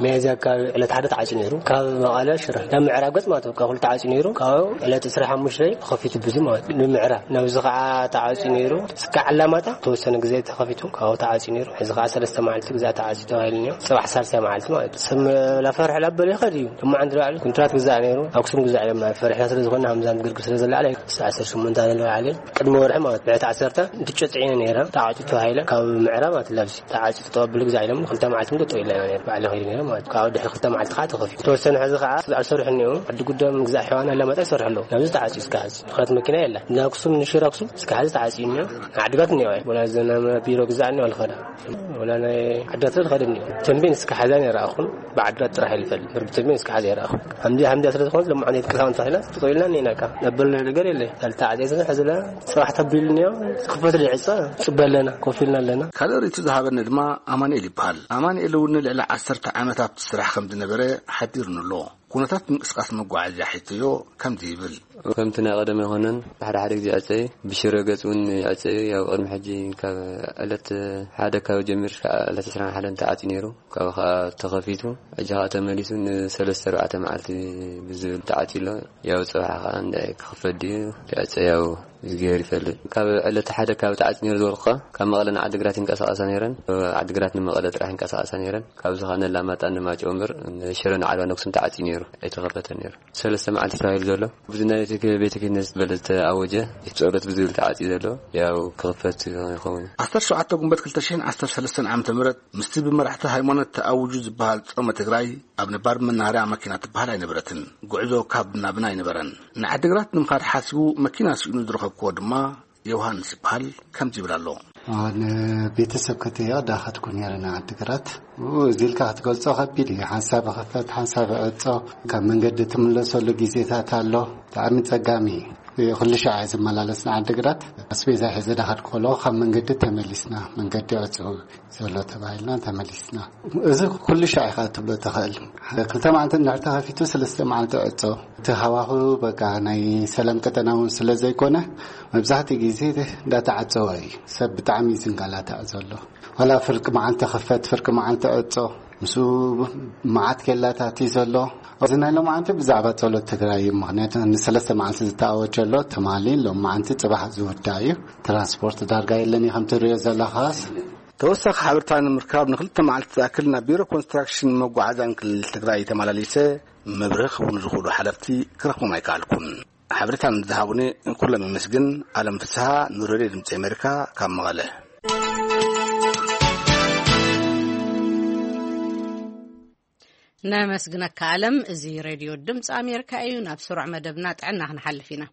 ሚያዝያ ኣካባቢ ዕለት ሓደ ተዓጽዩ ነይሩ። ካብ መቐለ ሽረ ናብ ምዕራብ ገጽ ማለት እዩ። ካብ ኩሉ ተዓጽዩ ነይሩ። ካብ ዕለት ዕስራን ሓሙሽተን ተኸፊቱ ብዙ ማለት እዩ። ንምዕራብ ናብዚ ከዓ ተዓጽዩ ነይሩ። እስካዕ ኣላማጣ ተወሰነ ግዜ ተኸፊቱ ካብኡ ተዓጽዩ ነይሩ። ሕዚ ከዓ ሰለስተ መዓልቲ ግዜ ተዓጽዩ ተባሂሉ እኒኦ። ጽባሕ ሳልሳይ መዓልቲ ማለት እዩ። ሰብ ላፈርሕ ላበለ ይኸድ እዩ። ድማ ዓንዲ ላዕሊ ኩንትራት ግዛእ ነይሩ። ኣክሱም ግዛእ እዮም። ፈሪሕና ስለ ዝኾንና፣ ሃምዛን ግርግር ስለ ዘለዓለ፣ ዓሰርተ ሸሞንተ ኣለዓለ ቅድሚ ወርሒ ማለት ብዕለት ዓሰርተ እንትጨጥዒነ ነይረ። ተዓጽዩ ተባሂለ ካብ ምዕራብ ማለት ላብዚ ተዓጽዩ ተጠበብሉ ግዛእ ኢሎም ክልተ መዓልቲ ምዶ ጠው ኢልና ኢና ነይረ። ባዕለ ኸይዱ ነይረ ማለት ካብኡ ድሕሪ ክልተ መዓልቲ ከዓ ተኸፊቱ። ተወሰነ ሕዚ ከዓ ዝሰርሑ እኒኦ። ዓዲ ጉደም ግዛእ ሕዋና ኣለማጣ ይሰርሑ ኣለዉ። ናብዚ ተዓጽዩ እስከ ሕዚ ምኽንያት መኪና የላ። ንኣክሱም ንሽረ ኣክሱም እስከ ሕዚ ተዓጽዩ እኒኦ። ዓድጋት እኒኦ። ወላ ዘና ቢሮ ግዛእ እኒኦ ኣልኸዳ ወላ ናይ ዓድጋት ዝኸደ እኒኦ። ተንቤን እስከ ሕዚ ኣይረኣኹን። ብዓድጋት ጥራሕ ይልፈል። ብርቢ ተንቤን እስከ ሕዚ ኣይረኣኹን። ሓምዲ ሓምዲ ስለ ዝኾነ ሎማዓንቲ ቅሳውን ተኺላ ትጠይልና እኒና ካ። ነበልና ነገር የለ። ካልተ ዓጽየ ስለ ሕዚ ላ ጽባሕ ተቢሉ እኒኦ። ክፈት ድዕጸ ጽበ ኣለና። ኮፍ ኢልና ኣለና። ካልእ ርእይቶ ዝሃበኒ ድማ ኣማኑኤል ይበሃል። ኣማኑኤል እውን ንልዕሊ ዓሰርተ ዓመት ኣብቲ ስራሕ ከም ዝነበረ ሓቢሩኒ ኣሎ። ኩነታት ምንቅስቃስ መጓዓዝያ ሒዝዮ ከምዚ ይብል። ከምቲ ናይ ቀደም ኣይኮነን። ሓደ ሓደ ግዜ ይዕጸ እዩ። ብሽረ ገጽ እውን ይዕጸ እዩ። ያው ቅድሚ ሕጂ ካብ ዕለት ሓደ ካብ ጀሚሩ ክሳዕ ዕለት ዕስራን ሓደን ተዓጽዩ ነይሩ። ካብኡ ከዓ ተኸፊቱ፣ ሕጂ ከዓ ተመሊሱ ንሰለስተ ኣርባዕተ መዓልቲ ብዝብል ተዓጽዩ ኣሎ። ያው ጽባሕ ከዓ እንዳ ክኽፈት ድዩ ክዕጸ ያው እግዚኣብሔር ይፈልጥ። ካብ ዕለት ሓደ ካብ ተዓጽዩ ነይሩ ዝበልኩኻ፣ ካብ መቐለ ንዓዲግራት ይንቀሳቐሳ ነይረን። ዓዲግራት ንመቐለ ጥራሕ ይንቀሳቐሳ ነይረን። ካብዚ ከዓ ነላማጣ ንማጨው እምበር ንሽረ ንዓድዋ ነክሱም ተዓጽዩ ነይሩ፣ ኣይተኸፈተን ነይሩ። ሰለስተ መዓልቲ ተባሂሉ ዘሎ። ብዙ ናይ ቤተ ቤተ ክህነት ዝበለ ዝተኣወጀ ጸሎት ብዝብል ተዓጽዩ ዘሎ፣ ያው ክኽፈት ይኸውን። ዓሰርተ ሸውዓተ ግንቦት ክልተ ሽሕን ዓሰርተ ሰለስተን ዓመተ ምህረት ምስቲ ብመራሕቲ ሃይማኖት ተኣውጁ ዝበሃል ጾመ ትግራይ ኣብ ነባር መናሃርያ መኪና ትበሃል ኣይነበረትን። ጉዕዞ ካብ ናብን ኣይነበረን። ንዓዲግራት ንምኻድ ሓሲቡ መኪና ስኢኑ ዝረኸብክዎ ድማ ዮሃንስ ይበሃል። ከምዚ ይብል ኣሎ። ኣዎ፣ ንቤተሰብ ከተዮ ዳኸድኩ ነይረ ንዓዲግራት። ኡ፣ እዚ ኢልካ ክትገልጾ ከቢድ እዩ። ሓንሳብ ክፈት፣ ሓንሳብ ዕጾ፣ ካብ መንገዲ ትምለሰሉ ግዜታት ኣሎ። ብጣዕሚ ጸጋሚ እዩ። ኩሉ ሻዕ እየ ዝመላለስ ንዓዲግራት። ኣስቤዛ ሒዘ ዳኸድኩ ከለኹ ካብ መንገዲ ተመሊስና፣ መንገዲ ዕጹው ዘሎ ተባሂልና ተመሊስና። እዚ ኩሉ ሻዕ ኢኻ ትብሎ ትኽእል። ክልተ መዓልቲ እንድሕር ተኸፊቱ፣ ሰለስተ መዓልቲ ዕጾ። እቲ ሃዋህው በቃ ናይ ሰላም ቀጠና እውን ስለ ዘይኮነ፣ መብዛሕትኡ ግዜ እንዳተዓጸወ እዩ። ሰብ ብጣዕሚ እዩ ዝንጋላታዕ ዘሎ። ዋላ ፍርቂ መዓልቲ ክፈት፣ ፍርቂ መዓልቲ ዕጾ፣ ምስኡ መዓት ኬላታት እዩ ዘሎ። እዚ ናይ ሎማዓንቲ ብዛዕባ ጸሎት ትግራይ እዩ። ምኽንያቱ ንሰለስተ መዓልቲ ዝተኣወጀ ኣሎ ትማሊ፣ ሎማዓንቲ፣ ጽባሕ ዝውዳእ እዩ። ትራንስፖርት ዳርጋ የለን እዩ፣ ከምቲ ትሪኦ ዘለኻስ። ተወሳኺ ሓበሬታ ንምርካብ ንክልተ መዓልቲ ዝኣክል ናብ ቢሮ ኮንስትራክሽን መጓዓዝያን ክልል ትግራይ ተመላሊሰ መብርሂ ክህቡኒ ዝኽእሉ ሓለፍቲ ክረኽቦም ኣይከኣልኩን። ሓበሬታ ንዝሃቡኒ ኩሎም የመስግን። ኣለም ፍስሃ፣ ንሬድዮ ድምፂ ኣሜሪካ፣ ካብ መቐለ። ነመስግነካ ኣለም። እዚ ሬድዮ ድምፂ ኣሜሪካ እዩ። ናብ ስሩዕ መደብና ጥዕና ክንሓልፍ ኢና።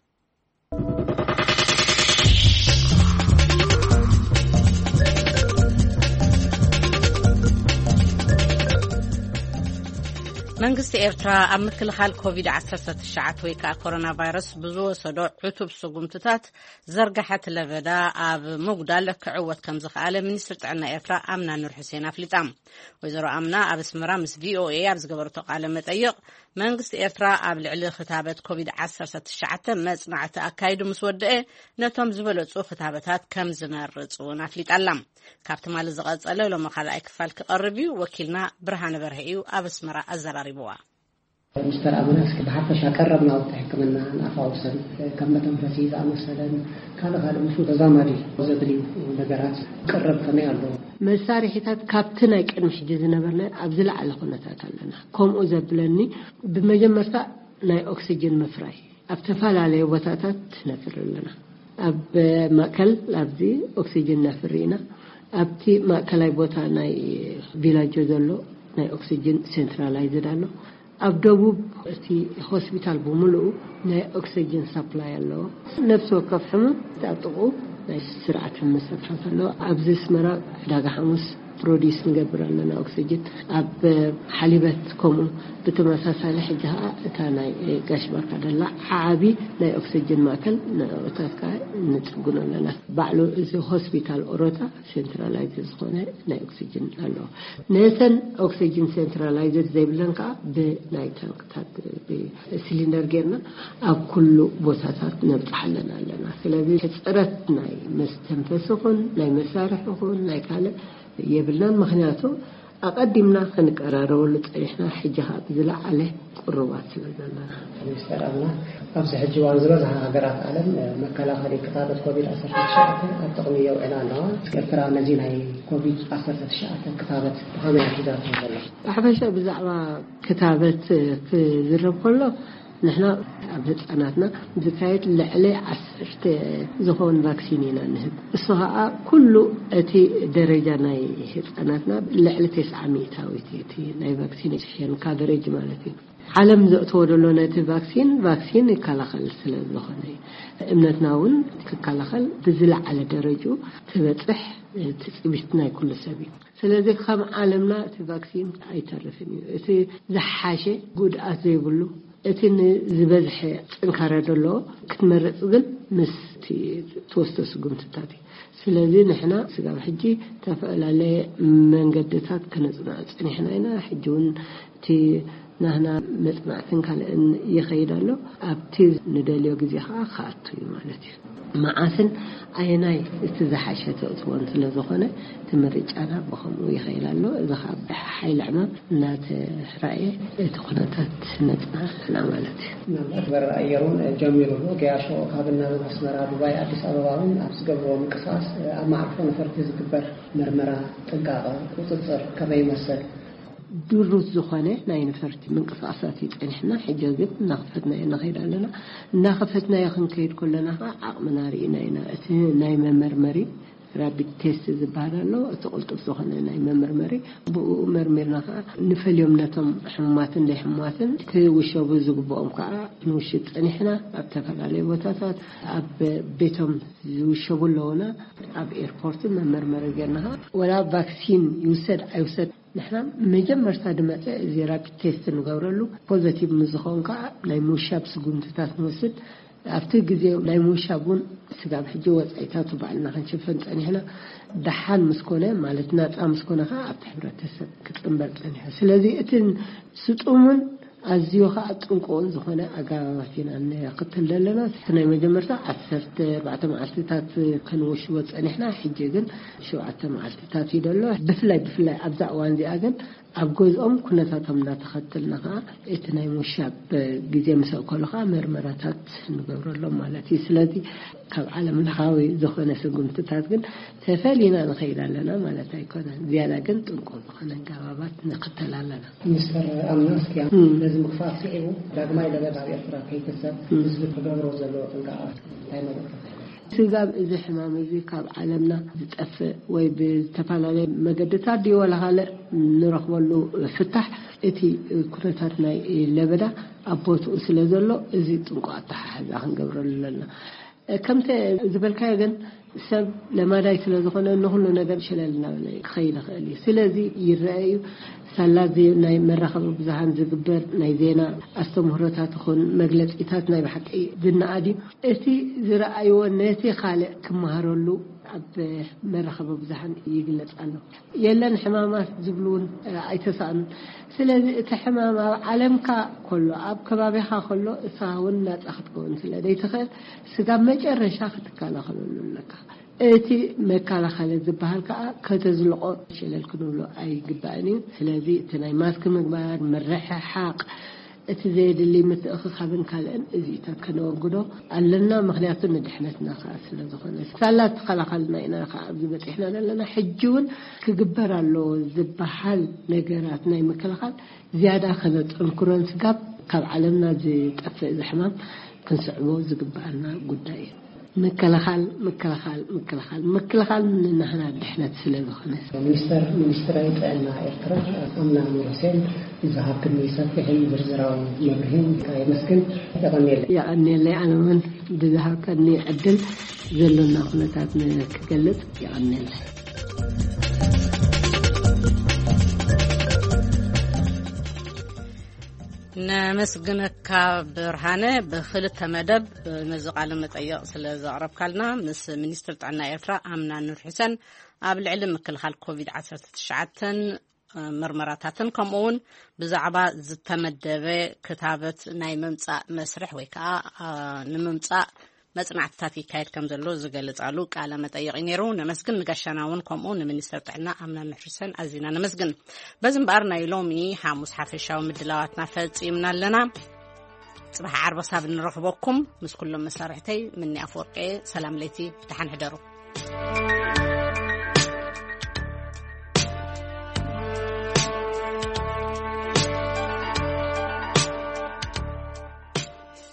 መንግስቲ ኤርትራ ኣብ ምክልኻል ኮቪድ ዓሰርተ ትሽዓተ ወይ ከዓ ኮሮና ቫይረስ ብዝወሰዶ ዕቱብ ስጉምትታት ዘርጋሐት ለበዳ ኣብ ምጉዳል ክዕወት ከም ዝኸኣለ ሚኒስትር ጥዕና ኤርትራ ኣምና ኑር ሕሴን ኣፍሊጣ። ወይዘሮ ኣምና ኣብ ኣስመራ ምስ ቪኦኤ ኣብ ዝገበረቶ ቃለ መጠይቕ፣ መንግስቲ ኤርትራ ኣብ ልዕሊ ክታበት ኮቪድ ዓሰርተ ትሽዓተ መጽናዕቲ ኣካይዱ ምስ ወደአ፣ ነቶም ዝበለጹ ክታበታት ከም ዝመርጽ እውን ኣፍሊጣ ኣላ። ካብ ትማሊ ዝቐጸለ ሎሚ ካልኣይ ክፋል ክቐርብ እዩ። ወኪልና ብርሃነ በርሀ እዩ ኣብ ኣስመራ ኣዘራሪብዋ። ሚስተር ኣምና፣ እስኪ ብሓፈሻ ቀረብ ናውቲ ሕክምና፣ ንኣፋውሰን፣ ከም መተንፈሲ ዝኣመሰለን ካልእ ካልእ ምስኡ ተዛማዲ ዘድልዩ ነገራት ቀረብ ከመይ ኣለዉ? መሳርሒታት ካብቲ ናይ ቅድሚ ሕጂ ዝነበርና ኣብ ዝለዓለ ኩነታት ኣለና። ከምኡ ዘብለኒ፣ ብመጀመርታ ናይ ኦክሲጅን ምፍራይ ኣብ ተፈላለየ ቦታታት ነፍሪ ኣለና። ኣብ ማእከል ኣብዚ ኦክሲጅን ነፍሪ ኢና። ኣብቲ ማእከላይ ቦታ ናይ ቪላጆ ዘሎ ናይ ኦክሲጅን ሴንትራላይዝድ ኣሎ። ኣብ ደቡብ እቲ ሆስፒታል ብምሉኡ ናይ ኦክሲጅን ሳፕላይ ኣለዎ። ነፍሲ ወከፍ ሕሙም ኣብ ጥቕኡ ናይ ስርዓት ሕሙም ሰፍራት ኣለዎ። ኣብዚ ኣስመራ ዕዳጋ ሓሙስ ፕሮዲስ ንገብር ኣለና ኦክሲጅን። ኣብ ሓሊበት ከምኡ ብተመሳሳሊ ሕጂ ኸዓ እታ ናይ ጋሽ ባርካ ደላ ዓቢ ናይ ኦክሲጅን ማእከል ንእታት ከዓ ንጽግኖ ኣለና። ባዕሉ እዚ ሆስፒታል ኦሮታ ሴንትራላይዝ ዝኾነ ናይ ኦክሲጅን ኣለዎ። ነተን ኦክሲጅን ሴንትራላይዝድ ዘይብለን ከዓ ብናይ ታንክታት ብሲሊንደር ጌርና ኣብ ኩሉ ቦታታት ነብፅሓለን ኣለና። ስለዚ ሕፅረት ናይ መስተንፈሲ ኹን ናይ መሳርሒ ኹን ናይ ካልእ የብልናን። ምክንያቱ ኣቐዲምና ክንቀራረበሉ ፀኒሕና፣ ሕጂ ከዓ ብዝለዓለ ቅሩባት ስለ ዘለና። ሚስተር ኣምና፣ ኣብዚ ሕጂ እዋን ዝበዝሓ ሃገራት ዓለም መከላኸሊ ክታበት ኮቪድ ዓሰርተ ትሽዓተ ኣብ ጥቕሚ የውዕላ ኣለዋ። ኤርትራ ነዚ ናይ ኮቪድ ዓሰርተ ትሽዓተ ክታበት ብኸመይ ኣትሒዛቶ ዘላ? ብሓፈሻ ብዛዕባ ክታበት ክዝረብ ከሎ፣ ንሕና ኣብ ህፃናትና ዝካየድ ልዕሊ ዓሰርተ ዝኾን ቫክሲን ኢና ንህብ። እሱ ከዓ ኩሉ እቲ ደረጃ ናይ ህፃናትና ልዕሊ ተስዓ ሚእታዊት እቲ ናይ ቫክሲኔሽን ካቨሬጅ ማለት እዩ። ዓለም ዘእትዎ ዘሎ ነቲ ቫክሲን፣ ቫክሲን ይከላኸል ስለ ዝኾነ እዩ። እምነትና እውን ክከላኸል ብዝለዓለ ደረጅኡ ትበፅሕ ትፅቢት ናይ ኩሉ ሰብ እዩ። ስለዚ ከም ዓለምና እቲ ቫክሲን ኣይተርፍን እዩ። እቲ ዝሓሸ ጉድኣት ዘይብሉ፣ እቲ ንዝበዝሐ ጥንካረ ዘለዎ ክትመርፅ ግን ምስ እቲ ትወስዶ ስጉምትታት እዩ። ስለዚ ንሕና ስጋብ ሕጂ ዝተፈላለየ መንገድታት ከነፅንዖ ፀኒሕና ኢና። ሕጂ እውን እቲ ናህና መፅናዕትን ካልእን ይኸይድ ኣሎ። ኣብቲ ንደልዮ ግዜ ከዓ ክኣቱ እዩ ማለት እዩ። መዓስን ኣየናይ እቲ ዝሓሸ ተእትዎን ስለ ዝኾነ እቲ ምርጫና ብኸምኡ ይኸይድ ኣሎ። እዚ ከዓ ብሓይሊ ዕማም እናተራእየ እቲ ኩነታት ነፅንዕ ኣለና ማለት እዩ። ምናልባት በረራ ኣየር እውን ጀሚሩ ኣሎ። ገያሾ ካብ ናብን ኣስመራ፣ ዱባይ፣ ኣዲስ ኣበባ እውን ኣብ ዝገብርዎ ምንቅስቃስ ኣብ መዓርፎ ነፈርቲ ዝግበር መርመራ፣ ጥንቃቐ፣ ቁፅፅር ከመይ ይመስል? ድሩት ዝኾነ ናይ ነፈርቲ ምንቅስቃሳት እዩ ጸኒሕና። ሕጂ ግን እናኸፈትናዮ ንኸይድ ኣለና። እናኸፈትናዮ ክንከይድ ከለና ኸዓ ዓቕምና ርኢና ኢና። እቲ ናይ መመርመሪ ራፒድ ቴስት ዝበሃል ኣሎ። እቲ ቅልጡፍ ዝኾነ ናይ መመርመሪ፣ ብኡ መርሚርና ኸዓ ንፈልዮም ነቶም ሕሙማትን ዘይሕሙማትን ክውሸቡ ዝግብኦም ከዓ ንውሽብ ጸኒሕና። ኣብ ዝተፈላለዩ ቦታታት ኣብ ቤቶም ዝውሸቡ ኣለውና። ኣብ ኤርፖርት መመርመሪ ጌርና ኸዓ ወላ ቫክሲን ይውሰድ ኣይውሰድ ንሕና መጀመርታ ድመጸ እዚ ራፒድ ቴስት ንገብረሉ፣ ፖዘቲቭ ምስ ዝኸውን ከዓ ናይ ምውሻብ ስጉምትታት ንወስድ። ኣብቲ ግዜ ናይ ምውሻብ እውን ስጋብ ሕጂ ወጻኢታቱ ባዕልና ክንሽፈን ጸኒሕና። ደሓን ምስ ኮነ፣ ማለት ናጻ ምስ ኮነ ከዓ ኣብቲ ሕብረተሰብ ክጽንበር ጸኒሑ። ስለዚ እቲ ስጡምን ኣዝዩ ከዓ ጥንቁቕን ዝኾነ ኣገባባት ኢና ንኽተል ዘለና። እቲ ናይ መጀመርታ ዓሰርተ ኣርባዕተ መዓልትታት ክንውሽቦ ጸኒሕና፣ ሕጂ ግን ሸውዓተ መዓልትታት እዩ ዘሎ። ብፍላይ ብፍላይ ኣብዛ እዋን እዚኣ ግን ኣብ ገዝኦም ኩነታቶም እናተኸተልና ከዓ እቲ ናይ ምውሻብ ግዜ ምስ ኣእከሉ ከዓ መርመራታት ንገብረሎም ማለት እዩ። ስለዚ ካብ ዓለም ለኻዊ ዝኾነ ስጉምትታት ግን ተፈሊና ንኸይድ ኣለና ማለት ኣይኮነን። ዝያዳ ግን ጥንቁቕ ዝኾነ ኣገባባት ንኽተል ኣለና። ሚስተር ኣምና፣ እስኪ እም። ነዚ ምኽፋእ ስዒቡ ዳግማይ ለበዳ ኣብ ኤርትራ ከይክሰት እም። ህዝቢ ክገብሮ ዘለዎ ጥንቃቐ እንታይ መልእኽቲ ትህብ? ስጋብ እዚ ሕማም እዚ ካብ ዓለምና ዝጠፍእ ወይ ብዝተፈላለየ መገድታት ድዩ ዋላ ካልእ ንረኽበሉ ፍታሕ፣ እቲ ኩነታት ናይ ለበዳ ኣብ ቦትኡ ስለ ዘሎ፣ እዚ ጥንቁቕ ኣተሓሕዛ ክንገብረሉ ኣለና። ከምቲ ዝበልካዮ ግን ሰብ ለማዳይ ስለ ዝኾነ ንኹሉ ነገር ሸለል እናበለ ክኸይድ ይኽእል እዩ። ስለዚ ይረአ እዩ። ሳላ ዜ-፣ ናይ መራኸቢ ብዙሃን ዝግበር ናይ ዜና ኣስተምህሮታት ይኹን መግለጺታት ናይ ብሓቂ ዝነኣድ እዩ። እቲ ዝረኣይዎ ነቲ ካልእ ክመሃረሉ ኣብ መራኸቢ ብዙሃን ይግለጽ ኣሎ። የለን ሕማማት ዝብሉ እውን ኣይተሳእኑን። ስለዚ እቲ ሕማም ኣብ ዓለምካ ከሎ፣ ኣብ ከባቢኻ ከሎ፣ እሳ እውን ናጻ ክትከውን ስለ ዘይትኽእል፣ ስጋብ መጨረሻ ክትከላኸለሉ ኣለካ። እቲ መከላኸሊ ዝበሃል ከዓ ከተዝልቆ ሸለል ክንብሎ ኣይግባእን እዩ። ስለዚ እቲ ናይ ማስክ ምግባር፣ ምርሕሓቕ፣ እቲ ዘየድሊ ምትእኽኻብን ካልእን እዚኢታት ከነወግዶ ኣለና። ምኽንያቱ ንድሕነትና ከዓ ስለ ዝኾነ፣ ሳላ ተኸላኸልና ኢና ከዓ ኣብዚ በፂሕና ዘለና። ሕጂ እውን ክግበር ኣለዎ ዝበሃል ነገራት ናይ ምክልኻል ዝያዳ ከነጠንክሮን ስጋብ ካብ ዓለምና ዝጠፍእ እዚ ሕማም ክንስዕቦ ዝግበኣና ጉዳይ እዩ። ምክልኻል፣ ምክልኻል፣ ምክልኻል፣ ምክልኻል ንናህና ድሕነት ስለ ዝኾነ። ሚኒስተር፣ ሚኒስትሪ ጥዕና ኤርትራ ኣምና ኑር ሁሴን ንዝሃብክኒ ሰፊሕን ዝርዝራዊ መብርሂን የመስግን። የቐንየለይ። የቐንየለይ። ኣነ እውን ብዝሃብከኒ ዕድል ዘሎና ኩነታት ንክገልጽ የቐንየለይ። ነመስግነካ ብርሃነ። ብክልተ መደብ ነዚ ቃለ መጠየቕ ስለ ዘቕረብካልና፣ ምስ ሚኒስትር ጥዕና ኤርትራ ኣምና ኑር ሕሰን ኣብ ልዕሊ ምክልኻል ኮቪድ ዓሰርተ ትሽዓተ ምርመራታትን ከምኡ እውን ብዛዕባ ዝተመደበ ክታበት ናይ ምምጻእ መስርሕ ወይ ከዓ፣ አ፣ ንምምጻእ መጽናዕትታት ይካየድ ከም ዘሎ ዝገልጻሉ ቃለ መጠይቕ እዩ ነይሩ። ነመስግን። ንጋሻና እውን ከምኡ ንሚኒስተር ጥዕና ኣምና ኑር ሕሰን ኣዚና ነመስግን። በዚ እምበኣር ናይ ሎሚ ሓሙስ ሓፈሻዊ ምድላዋትና ፈጺምና ኣለና። ጽባሕ ዓርቢ ክሳብ እንረኽበኩም ምስ ኩሎም መሳርሕተይ ምኒ ኣፈወርቂ ሰላም ለይቲ፣ ደሓን ሕደሩ።